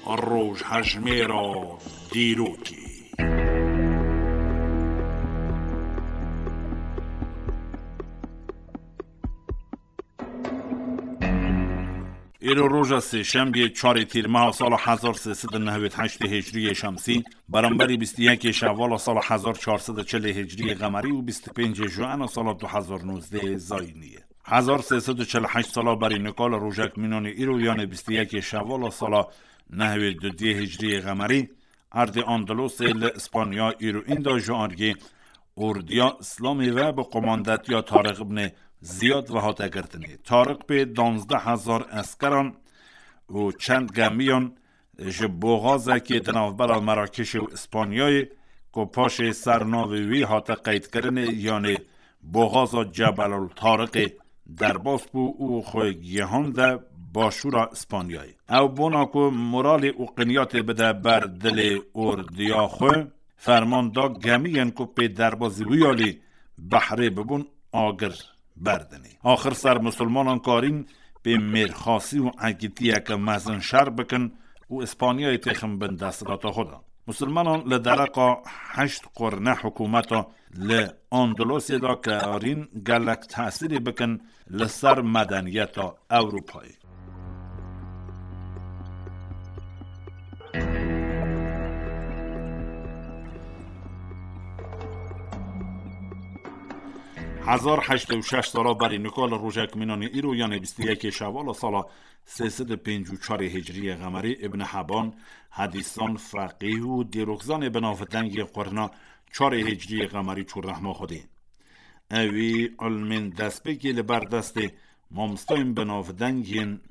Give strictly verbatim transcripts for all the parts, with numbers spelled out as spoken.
Rojhejmêra dîrokê. Îro roja sêşembiyê, çarê tîrmeha sala hezar sê sed û nehwêd heştê hicriyê şemsî, beramberî bîst û yekê şevala sala hezar çar sed û çilê hicriyê qemerî û bîst û pêncê juena sala du hezar nozdeh zayînî ye. Hezar sê sed û çil û heşt sala berî nika li rojek mînanê îro, yanê bîst û yekê şevala sala nehwêd û duyê hicriyê qemerî, erdê Andalosê li Îspanya îro înda ji argê ordiya Îslamê ve bi qomandetiya Tariq ibnê Ziyad ve hate girtinê. Tariq pê danzdeh hezar eskeran û çend gemiyan ji boxazekê di navbera Merakişê û Îspanyayê, ku paşê ser navê wî hate qeydkirinê, yanê boxaza Cebelul Tariqê, derbas bû û xwe gihande başûra Îspanyayê. Ew bona ku moralê û qinyatê bide ber dilê ordiya xwe, ferman da gemiyên ku pê derbazî wî alî behrê bibûn agir berdinê. Axir ser misilmanan karîn pê mêrxasî û egîtiyeke mezin şer bikin û Îspanyayê têxin bin desthilata xwe de. Misilmanan li dereqa heşt qurne hikûmeta li Andalosê de karîn gelek tesîrê bikin li ser medeniyeta Ewropayê. Hezar heştê û şeş sala berî nika li rojek mînanê îro, yanê bîst û yekê şevala sala sê sed û pêncî û çarê hicriyê qemerî, Ibn Heban, hedîsan, feqîh û dîrokzanê bi navdengê qurna çarê hicriyê qemerî çû rehma Xwedê. Ewî ilmên destpêkê li ber destê mamostayên bi navdeng yên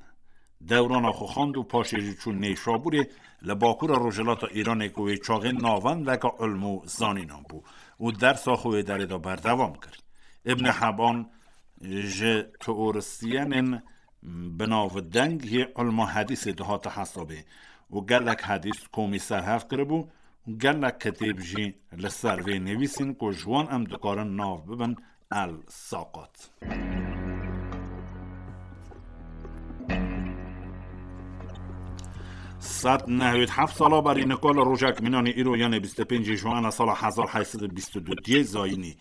dewrana xwe xwend û paşê jî çû Nêşabûrê li bakûra rojhilata Îranê, ku wê çaxê navendeka ilm û zanînan bû û dersa xwe wê derê de berdewam kir. Ibn Heban ji teorîsyenên bi navdeng yê ilma hedîsê dihate hesabê û gelek hedîs komî serhev kiribû û gelek kitêb jî li ser vê nivîsîn, ku ji wan em dikarin nav bibin El Saqat. Sed nehwêd heft sala berî nika li rojek mînanê îro, yanê bîst û pêncê Juana sala hezar heyt sed û bîst û du diyê zayînî,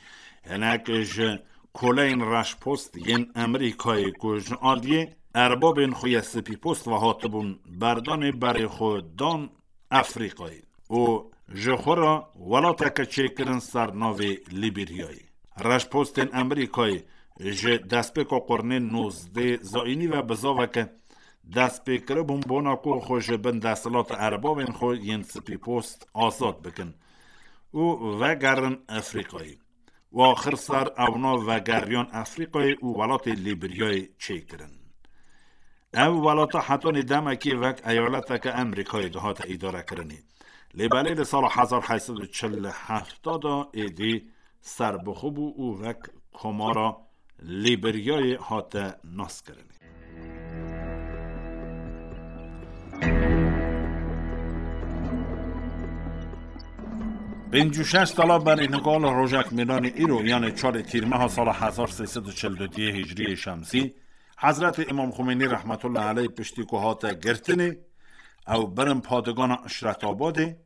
hinek ji koleyên reşpost yên Amerîkayê ku ji aliyê erbabên xwe yê spîpost ve hatibûn berdanê, berê xwe dan Efrîqayê û ji xwe re welateke çêkirin ser navê Lîbîryayê. Reşpostên Amerîkayê ji destpêka qurnê nozdeh zayînî ve bizaveke dest pê kiribûn bona ku xwe ji bin desthilata erbabên xwe yên spîpost azad bikin û vegerin Efrîqayê. Û axir ser ewna vegeriyan Efrîqayê û welatê Lîbiryayê çêkirin. Ev welata hetanî demekê wek eyaleteke Amerîkayê dihate îdarekirinê. Lê belê li sala hezar heyt sed û çil û heft de êdî serbixwe bû û wek Komara Lîbiryayê hate naskirinê. Pêncî û şeş sala berî nika li rojek mêlanê îro, yanê çarê tîrmeha sala hezar sê sed û çil û duyê hicriyê şemsî, Hezretê Îmam Xumênî rehmetullah aleyh piştî ku hate girtinê, ew birin padigana Îşretabadê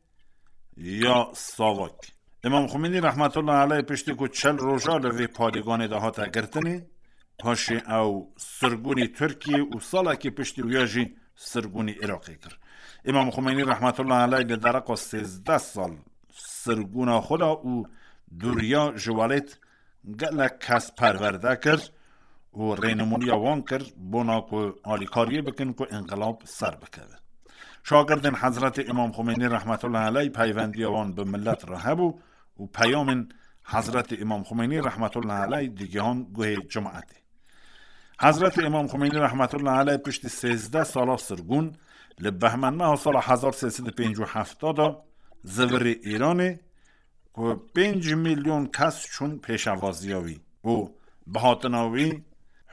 ya Savak. Îmam Xumênî rehmetullah aleyh piştî ku çil roja li vê padiganê de hate girtinê, paşê ew sirgûnî Tirkiyê û salekî piştî wiya jî sirgûnî Iraqê kir. Îmam Xumênî rehmetullah aleyh li dereqa sêzdeh sal sirgûna xwe da û dûriya ji welêt gelek kes perwerde kir û rênimûniya wan kir, bona ku alîkariyê bikin ku înqilab ser bikeve. Şagirdên Hezretê Îmam Xumênî rehmetullah aleyh peyvendiya wan bi milet re hebû û peyamên Hezretê Îmam Xumênî rehmetullah aleyh digihan guhê cemaetê. Hezretê Îmam Xumênî rehmetullah aleyh piştî sêzdeh sala sirgûn, li behmendmeha sala hezar sê sed û pêncî û heft de zivirî Îranê, ku pênc milyon kes çûn pêşevaziya wî û bi hatina wî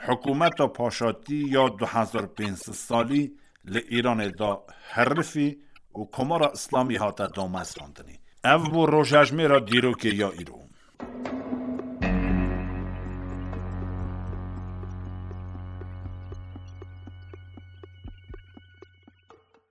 hikûmeta paşatî ya du hezar pênc sed salî li Îranê da herifî û Komara Îslamî hate damezrandinê. Ev bû rojhejmêra dîrokê ya îro.